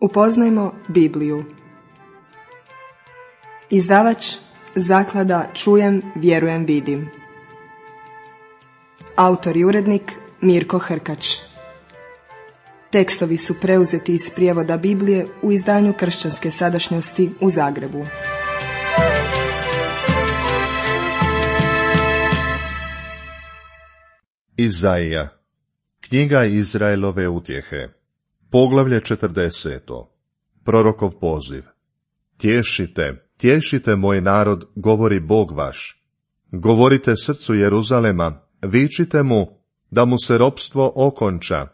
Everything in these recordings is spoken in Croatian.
Upoznajmo Bibliju. Izdavač Zaklada Čujem, vjerujem, vidim. Autor i urednik Mirko Hrkač. Tekstovi su preuzeti iz prijevoda Biblije u izdanju Kršćanske sadašnjosti u Zagrebu. Izaija. Knjiga Izraelove utjehe. Poglavlje 40. Prorokov poziv. Tješite moj narod, govori Bog vaš. Govorite srcu Jeruzalema, vičite mu da mu se ropstvo okonča,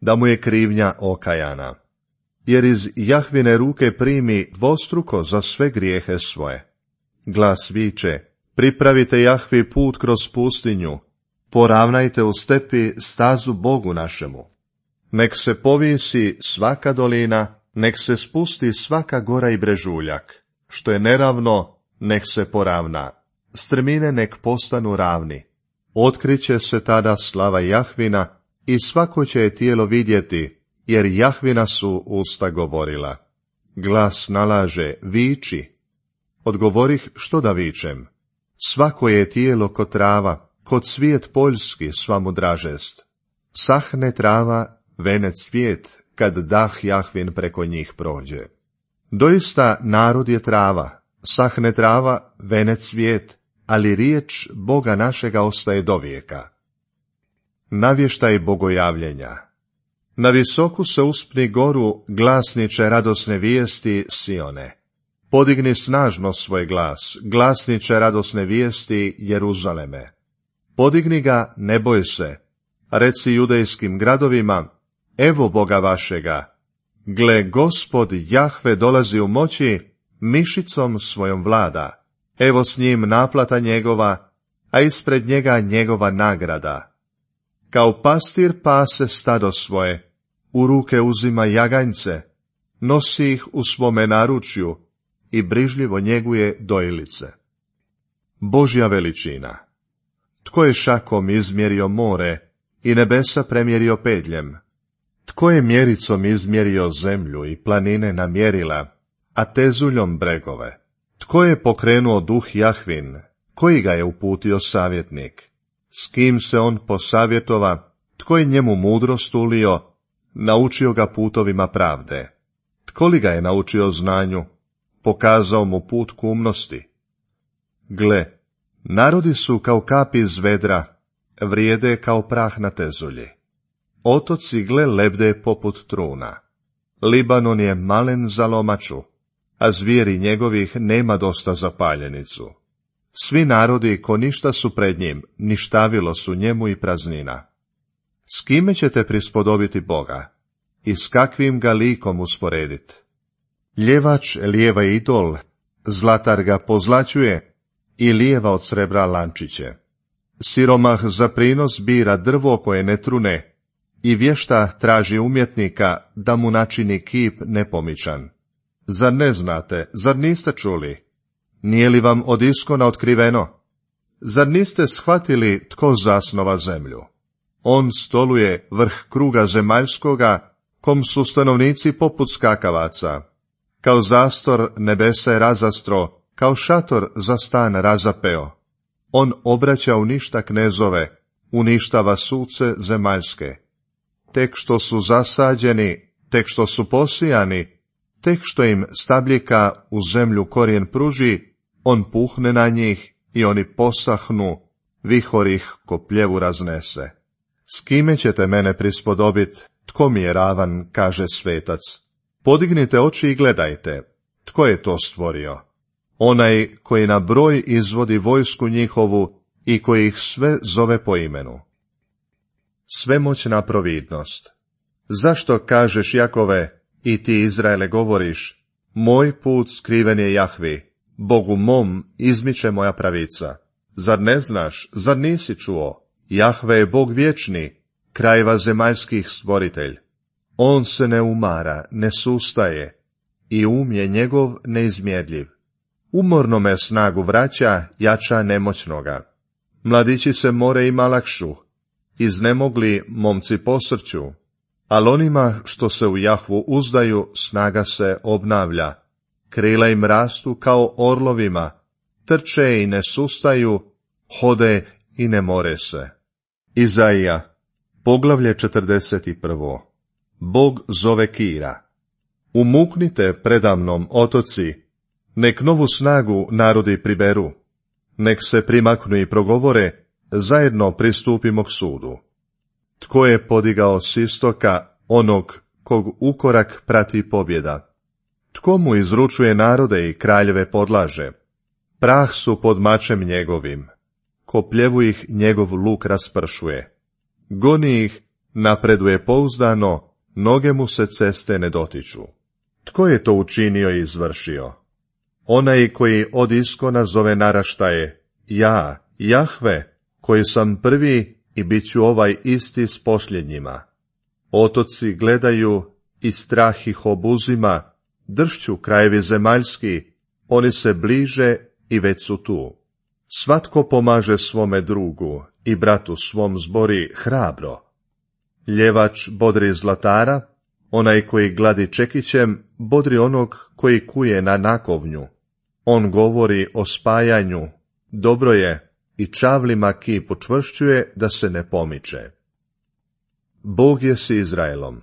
da mu je krivnja okajana. Jer iz Jahvine ruke primi dvostruko za sve grijehe svoje. Glas viče, pripravite Jahvi put kroz pustinju, poravnajte u stepi stazu Bogu našemu. Nek se povisi svaka dolina, nek se spusti svaka gora i brežuljak. Što je neravno, nek se poravna. Strmine nek postanu ravni. Otkriće se tada slava Jahvina i svako će je tijelo vidjeti, jer Jahvina su usta govorila. Glas nalaže, viči. Odgovorih, što da vičem? Svako je tijelo ko trava, kod cvijet poljski sva mu dražest. Sahne trava, vene cvijet, kad dah Jahvin preko njih prođe. Doista narod je trava, sahne trava, vene cvijet, ali riječ Boga našega ostaje dovijeka. Navještaj bogojavljenja. Na visoku se uspni goru, glasniče radosne vijesti Sione. Podigni snažno svoj glas, glasniče radosne vijesti Jeruzaleme. Podigni ga, ne boj se, reci judejskim gradovima, evo Boga vašega. Gle, Gospod Jahve dolazi u moći, mišicom svojom vlada. Evo s njim naplata njegova, a ispred njega njegova nagrada. Kao pastir pase stado svoje, u ruke uzima jaganjce, nosi ih u svome naručju i brižljivo njeguje dojilice. Božja veličina. Tko je šakom izmjerio more i nebesa premjerio pedljem? Tko je mjericom izmjerio zemlju i planine namjerila, a tezuljom bregove? Tko je pokrenuo duh Jahvin, koji ga je uputio savjetnik? S kim se on posavjetova, tko je njemu mudrost ulio, naučio ga putovima pravde? Tko li ga je naučio znanju, pokazao mu put k umnosti? Gle, narodi su kao kapi iz vedra, vrijede kao prah na tezulji. Otoci gle lebde poput truna. Libanon je malen za lomaču, a zvijeri njegovih nema dosta za paljenicu. Svi narodi ko ništa su pred njim, ništavilo su njemu i praznina. S kime ćete prispodobiti Boga? I s kakvim ga likom usporediti? Ljevač lijeva idol, zlatar ga pozlaćuje i lijeva od srebra lančiće. Siromah za prinos bira drvo koje ne trune i vješta traži umjetnika da mu načini kip nepomičan. Zar ne znate, zar niste čuli? Nije li vam od iskona otkriveno? Zar niste shvatili tko zasnova zemlju? On stoluje vrh kruga zemaljskoga, kom su stanovnici poput skakavaca. Kao zastor nebesa je razastro, kao šator za stan razapeo. On obraća u ništa knezove, uništava suce zemaljske. Tek što su zasađeni, tek što su posijani, tek što im stabljika u zemlju korijen pruži, on puhne na njih i oni posahnu, vihor ih ko pljevu raznese. S kime ćete mene prispodobit, tko mi je ravan, kaže svetac. Podignite oči i gledajte, tko je to stvorio? Onaj koji na broj izvodi vojsku njihovu i koji ih sve zove po imenu. Svemoćna providnost. Zašto kažeš, Jakove, i ti, Izraele, govoriš, moj put skriven je Jahvi, Bogu mom izmiče moja pravica. Zar ne znaš, zar nisi čuo? Jahve je Bog vječni, krajeva zemaljskih stvoritelj. On se ne umara, ne sustaje, i je njegov neizmjerljiv. Umorno me snagu vraća, jača nemoćnoga. Mladići se more ima lakšu, iznemogli momci posrću, Ali onima što se u Jahvu uzdaju, snaga se obnavlja. Krila im rastu kao orlovima, trče i ne sustaju, hode i ne more se. Izaija, poglavlje 41. Bog zove Kira. Umuknite predamnom, otoci, nek novu snagu narodi priberu, nek se primaknu i progovore, zajedno pristupimo k sudu. Tko je podigao s istoka onog kog ukorak prati pobjeda? Tko mu izručuje narode i kraljeve podlaže? Prah su pod mačem njegovim, kopljevu ih njegov luk raspršuje. Goni ih, napreduje pouzdano, noge mu se ceste ne dotiču. Tko je to učinio i izvršio? Onaj koji od iskona zove naraštaje, ja, Jahve, koji sam prvi i bit ću ovaj isti s posljednjima. Otoci gledaju i strah ih obuzima, dršću krajevi zemaljski, oni se bliže i već su tu. Svatko pomaže svome drugu i bratu svom zbori hrabro. Ljevač bodri zlatara, onaj koji gladi čekićem, bodri onog koji kuje na nakovnju. On govori o spajanju, dobro je, i čavlima kip učvršćuje da se ne pomiče. Bog je s Izraelom.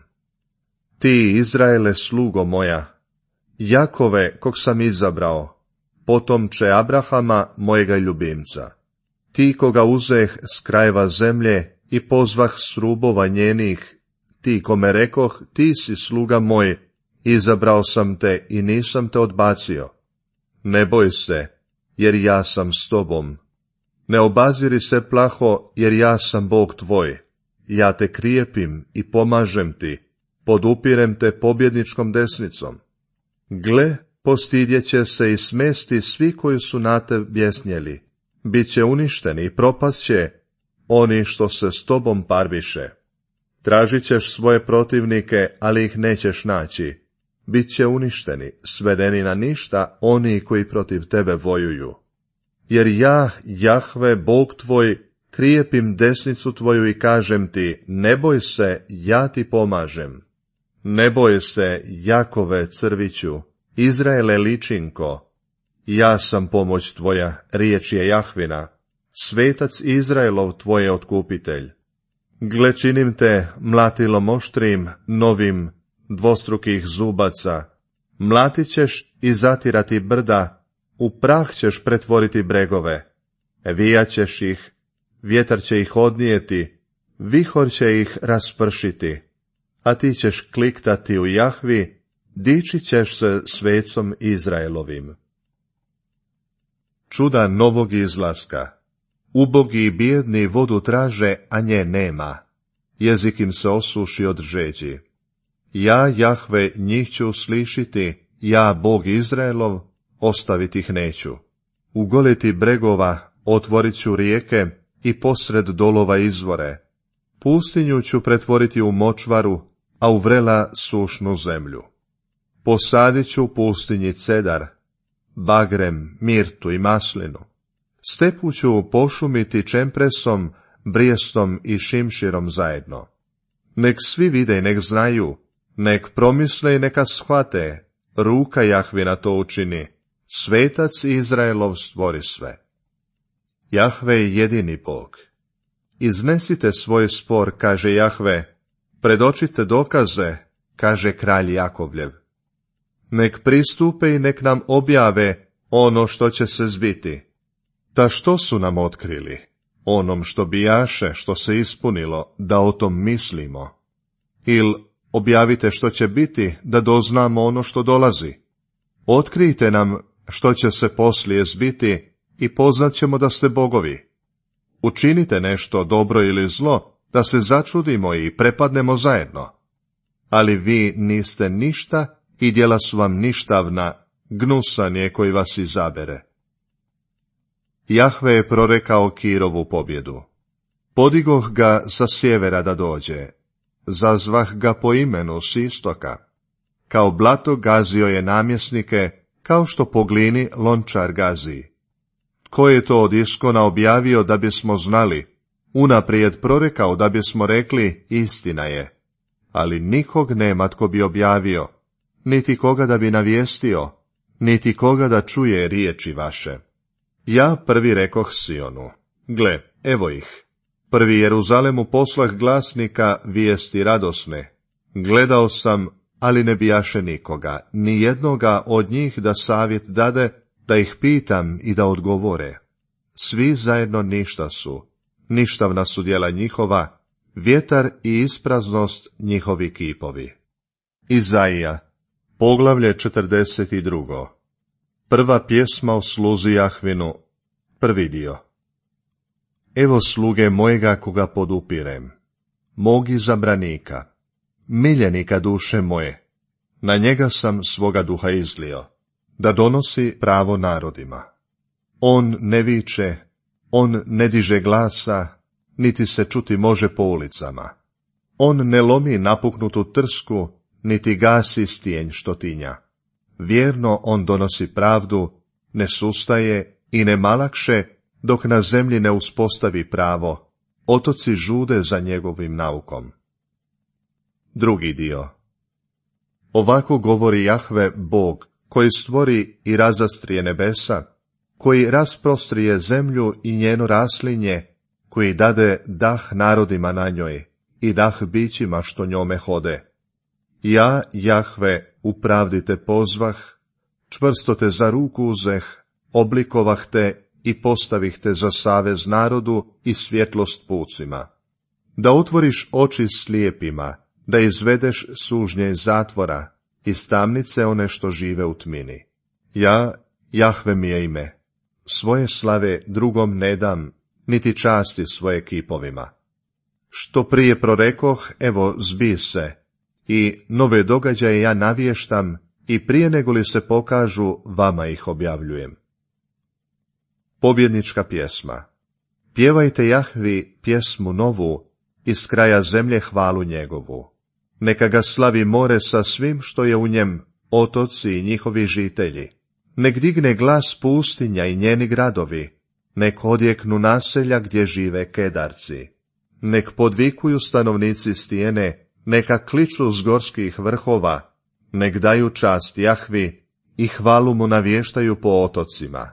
Ti, Izraele, slugo moja, Jakove, kog sam izabrao, potomče Abrahama, mojega ljubimca. Ti koga uzeh s krajeva zemlje i pozvah s rubova njenih, ti kome rekoh, ti si sluga moj, izabrao sam te i nisam te odbacio. Ne boj se, jer ja sam s tobom. Ne obaziri se plaho, jer ja sam Bog tvoj. Ja te krijepim i pomažem ti, podupirem te pobjedničkom desnicom. Gle, postidjeće se i smesti svi koji su na te bjesnjeli. Biće uništeni i propasće oni što se s tobom parviše. Tražit ćeš svoje protivnike, ali ih nećeš naći. Biće uništeni, svedeni na ništa oni koji protiv tebe vojuju. Jer ja, Jahve, Bog tvoj, krijepim desnicu tvoju i kažem ti, ne boj se, ja ti pomažem. Ne boj se, Jakove, crviću, Izraele, ličinko. Ja sam pomoć tvoja, riječ je Jahvina, svetac Izraelov tvoj otkupitelj. Gle, činim te mlatilom oštrim, novim, dvostrukih zubaca. Mlatit ćeš i zatirati brda, u prah ćeš pretvoriti bregove. Vijat ćeš ih, vjetar će ih odnijeti, vihor će ih raspršiti. A ti ćeš kliktati u Jahvi, dičit ćeš se svecom Izraelovim. Čuda novog izlaska. Ubogi i bijedni vodu traže, a nje nema. Jezik im se osuši od žeđi. Ja, Jahve, njih ću slišiti, ja, Bog Izraelov, ostaviti ih neću. Ugoliti bregova, otvorit ću rijeke i posred dolova izvore. Pustinju ću pretvoriti u močvaru, a u vrela sušnu zemlju. Posadit ću u pustinji cedar, bagrem, mirtu i maslinu. Stepu ću pošumiti čempresom, brijestom i šimširom zajedno. Nek svi vide i nek znaju, nek promisle i neka shvate, ruka Jahvina to učini, svetac Izraelov stvori sve. Jahve je jedini Bog. Iznesite svoj spor, kaže Jahve, predočite dokaze, kaže kralj Jakovljev. Nek pristupe i nek nam objave ono što će se zbiti. Ta što su nam otkrili? Onom što bijaše, što se ispunilo, da o tom mislimo. Il objavite što će biti, da doznamo ono što dolazi. Otkrijte nam što će se poslije zbiti i poznat ćemo da ste bogovi. Učinite nešto dobro ili zlo, da se začudimo i prepadnemo zajedno. Ali vi niste ništa i djela su vam ništavna, gnusan je koji vas izabere. Jahve je prorekao Kirovu pobjedu. Podigoh ga sa sjevera da dođe, zazvah ga po imenu s istoka. Kao blato gazio je namjesnike, kao što po glini lončar gazi. Tko je to od iskona objavio da bismo znali, unaprijed prorekao da bismo rekli istina je. ali nikog nema tko bi objavio, niti koga da bi navijestio, niti koga da čuje riječi vaše. Ja prvi rekoh Sionu, gle, evo ih. Prvi Jeruzalemu poslah glasnika vijesti radosne. Gledao sam, ali ne bijaše nikoga, ni jednoga od njih da savjet dade, da ih pitam i da odgovore. Svi zajedno ništa su, ništavna su djela njihova, vjetar i ispraznost njihovi kipovi. Izaija, poglavlje 42. Prva pjesma o sluzi Jahvinu, prvi dio. Evo sluge mojega koga podupirem, mog izabranika, miljenika duše moje, na njega sam svoga duha izlio, da donosi pravo narodima. On ne viče, on ne diže glasa, niti se čuti može po ulicama. On ne lomi napuknutu trsku, niti gasi stijenj što tinja. Vjerno on donosi pravdu, ne sustaje i ne malakše, dok na zemlji ne uspostavi pravo, otoci žude za njegovim naukom. Drugi dio. Ovako govori Jahve Bog, koji stvori i razastrije nebesa, koji rasprostrije zemlju i njeno raslinje, koji dade dah narodima na njoj i dah bićima što njome hode. Ja, Jahve, u pravdi te pozvah, čvrsto te za ruku uzeh, oblikovah te i postavih te za savez narodu i svjetlost pucima. Da otvoriš oči slijepima, da izvedeš sužnje iz zatvora, iz tamnice one što žive u tmini. Ja, Jahve mi je ime, svoje slave drugom ne dam, niti časti svoje kipovima. Što prije prorekoh, evo zbi se, i nove događaje ja navještam, i prije nego li se pokažu, vama ih objavljujem. Pobjednička pjesma. Pjevajte Jahvi pjesmu novu, iz kraja zemlje hvalu njegovu. Neka ga slavi more sa svim što je u njem, otoci i njihovi žitelji. Nek digne glas pustinja i njeni gradovi, nek odjeknu naselja gdje žive Kedarci. Nek podvikuju stanovnici stijene, neka kliču s gorskih vrhova, nek daju čast Jahvi i hvalu mu navještaju po otocima.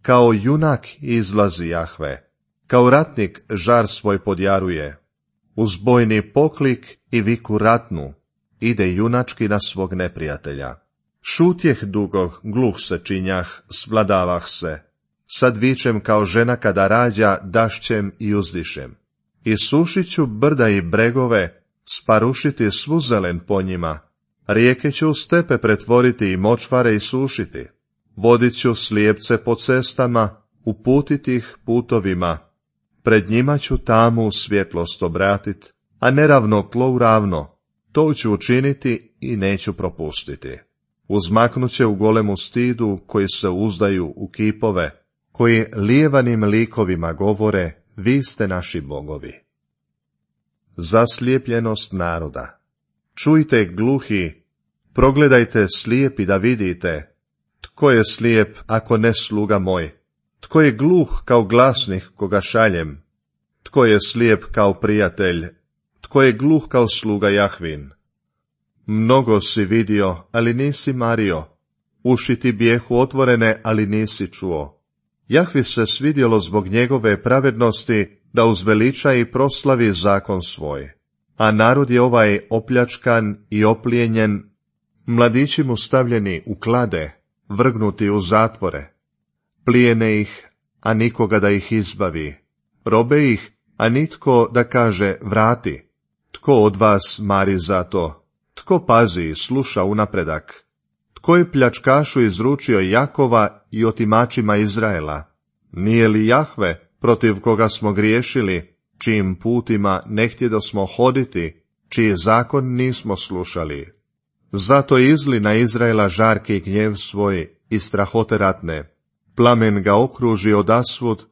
Kao junak izlazi Jahve, kao ratnik žar svoj podjaruje. Uz bojni poklik i viku ratnu, ide junački na svog neprijatelja. Šutjeh dugo, gluh se činjah, svladavah se. Sad vičem kao žena kada rađa, dašćem i uzdišem. I sušit ću brda i bregove, sparušiti svu zelen po njima. Rijeke ću u stepe pretvoriti i močvare isušiti. Vodit ću slijepce po cestama, uputiti ih putovima. Pred njima ću tamu svjetlost obratit, a neravno tlo u ravno. To ću učiniti i neću propustiti. Uzmaknut će u golemu stidu koji se uzdaju u kipove, koji lijevanim likovima govore, vi ste naši bogovi. Zaslijepljenost naroda. Čujte gluhi, progledajte slijepi da vidite. Tko je slijep ako ne sluga moj? Tko je gluh kao glasnik koga šaljem? Tko je slijep kao prijatelj? Tko je gluh kao sluga Jahvin? Mnogo si vidio, ali nisi mario. Uši ti bijehu otvorene, ali nisi čuo. Jahvi se svidjelo zbog njegove pravednosti da uzveliča i proslavi zakon svoj. A narod je ovaj opljačkan i oplijenjen, mladići mu stavljeni u klade, vrgnuti u zatvore. Plijene ih, a nikoga da ih izbavi. Robe ih, a nitko da kaže vrati. Tko od vas mari za to? Tko pazi i sluša unapredak? Tko je pljačkašu izručio Jakova i otimačima Izraela? Nije li Jahve, protiv koga smo griješili, čijim putima ne htjedosmo hoditi, čiji zakon nismo slušali? Zato izli na Izraela žarki gnjev svoj i strahote ratne. Plamen ga okruži odasvud,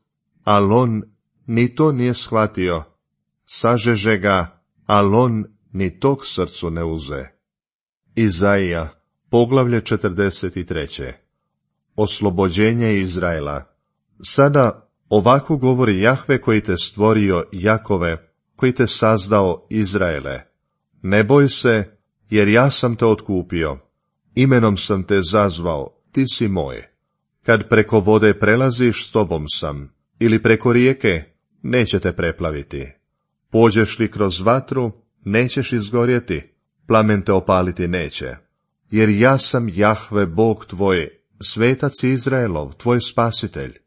al on ni to nije shvatio. Sažeže ga, al on ni tog srcu ne uze. Izaija, poglavlje 43. Oslobođenje Izraela. Sada ovako govori Jahve koji te stvorio Jakove, koji te sazdao Izraele. Ne boj se, jer ja sam te otkupio, imenom sam te zazvao, ti si moj. Kad preko vode prelaziš, s tobom sam, ili preko rijeke, neće te preplaviti. Pođeš li kroz vatru, nećeš izgorjeti, plamen te opaliti neće. Jer ja sam Jahve, Bog tvoj, svetac Izraelov, tvoj spasitelj.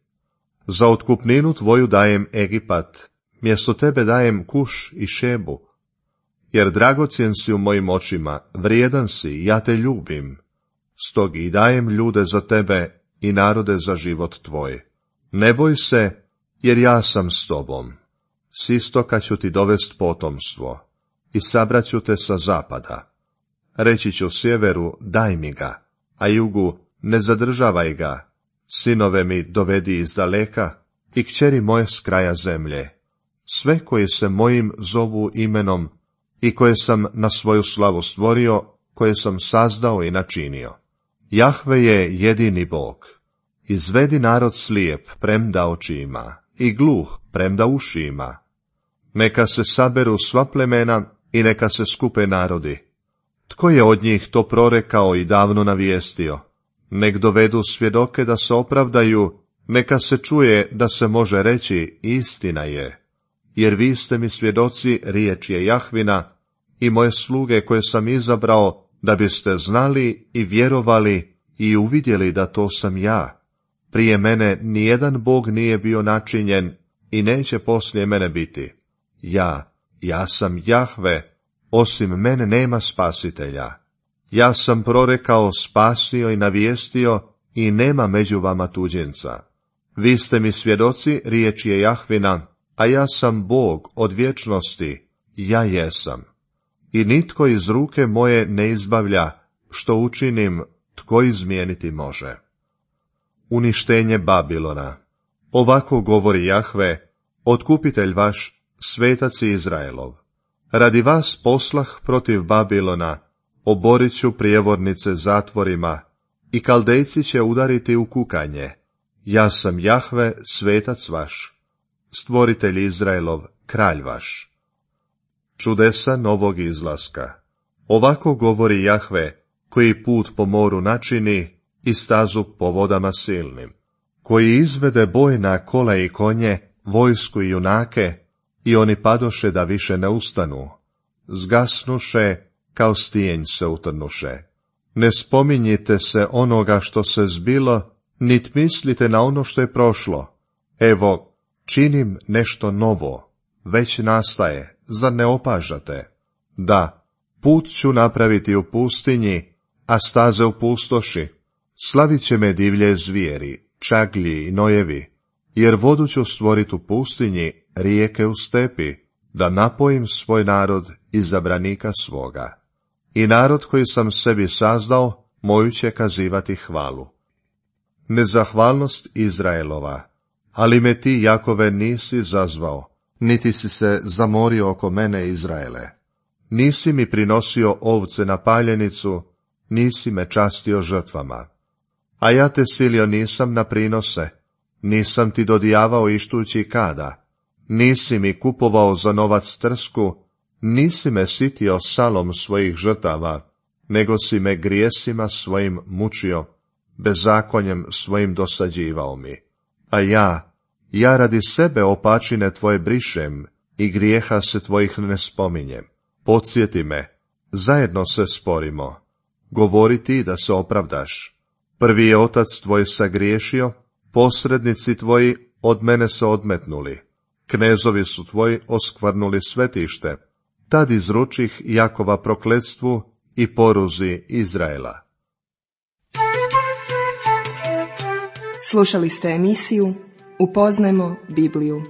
Za otkupninu tvoju dajem Egipat, mjesto tebe dajem Kuš i Šebu. Jer dragocjen si u mojim očima, vrijedan si, ja te ljubim. Stog i dajem ljude za tebe i narode za život tvoj. Ne boj se, jer ja sam s tobom. S istoka ću ti dovest potomstvo i sabraću te sa zapada. Reći ću sjeveru, daj mi ga, a jugu, ne zadržavaj ga. Sinove mi dovedi iz daleka i kćeri moje s kraja zemlje. Sve koji se mojim zovu imenom i koje sam na svoju slavu stvorio, koje sam sazdao i načinio. Jahve je jedini Bog. Izvedi narod slijep, premda oči ima, i gluh, premda uši ima. Neka se saberu sva plemena i neka se skupe narodi. Tko je od njih to prorekao i davno navijestio? Nek dovedu svjedoke da se opravdaju, neka se čuje da se može reći istina je. Jer vi ste mi svjedoci, riječ je Jahvina, i moje sluge koje sam izabrao, da biste znali i vjerovali i uvidjeli da to sam ja. Prije mene nijedan Bog nije bio načinjen i neće poslije mene biti. Ja sam Jahve, osim mene nema spasitelja. Ja sam prorekao, spasio i navijestio i nema među vama tuđinca. Vi ste mi svjedoci, riječ je Jahvina, a ja sam Bog od vječnosti, ja jesam. I nitko iz ruke moje ne izbavlja, što učinim, tko izmijeniti može. Uništenje Babilona. Ovako govori Jahve, otkupitelj vaš, svetac Izraelov. Radi vas poslah protiv Babilona, oborit ću prijevornice zatvorima, i Kaldejci će udariti u kukanje. Ja sam Jahve, svetac vaš, stvoritelj Izraelov, kralj vaš. Čudesa novog izlaska. Ovako govori Jahve, koji put po moru načini i stazu po vodama silnim, koji izvede boj na kola i konje, vojsku i junake, i oni padoše da više ne ustanu. Zgasnuše, kao stijenj se utrnuše. Ne spominjite se onoga što se zbilo, nit mislite na ono što je prošlo. Evo, činim nešto novo, već nastaje, zar ne opažate? Da, put ću napraviti u pustinji, a staze u pustoši. Slavit će me divlje zvijeri, čaglji i nojevi, jer vodu ću stvorit u pustinji, rijeke u stepi, da napojim svoj narod izabranika svoga. I narod koji sam sebi sazdao, moju će kazivati hvalu. Nezahvalnost Izraelova, ali me ti, Jakove, nisi zazvao, niti si se zamorio oko mene, Izraele. Nisi mi prinosio ovce na paljenicu, nisi me častio žrtvama. A ja te silio nisam na prinose, nisam ti dodijavao ištući kada, nisi mi kupovao za novac trsku, nisi me sitio salom svojih žrtava, nego si me grijesima svojim mučio, bezakonjem svojim dosađivao mi. A ja radi sebe opačine tvoje brišem i grijeha se tvojih ne spominjem. Podsjeti me, zajedno se sporimo. Govori ti da se opravdaš. Prvi je otac tvoj sagriješio, posrednici tvoji od mene se odmetnuli. Knezovi su tvoji oskvrnuli svetište. Tad izručih Jakova prokletstvu i poruzi Izraela. Slušali ste emisiju Upoznajmo Bibliju.